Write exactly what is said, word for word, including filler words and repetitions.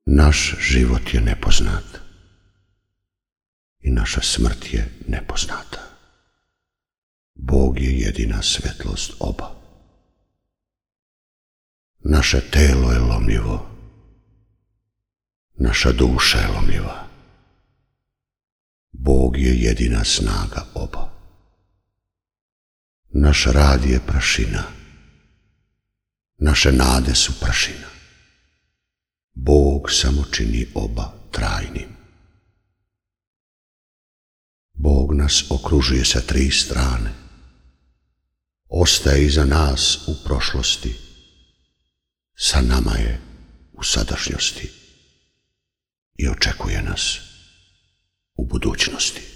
Naš život je nepoznat i naša smrt je nepoznata. Bog je jedina svetlost oba. Naše telo je lomljivo, naša duša je lomljiva. Bog je jedina snaga oba. Naš rad je prašina, naše nade su prašina. Bog samo čini oba trajnim. Bog nas okružuje sa tri strane. Ostaje iza nas u prošlosti, sa nama je u sadašnjosti i očekuje nas u budućnosti.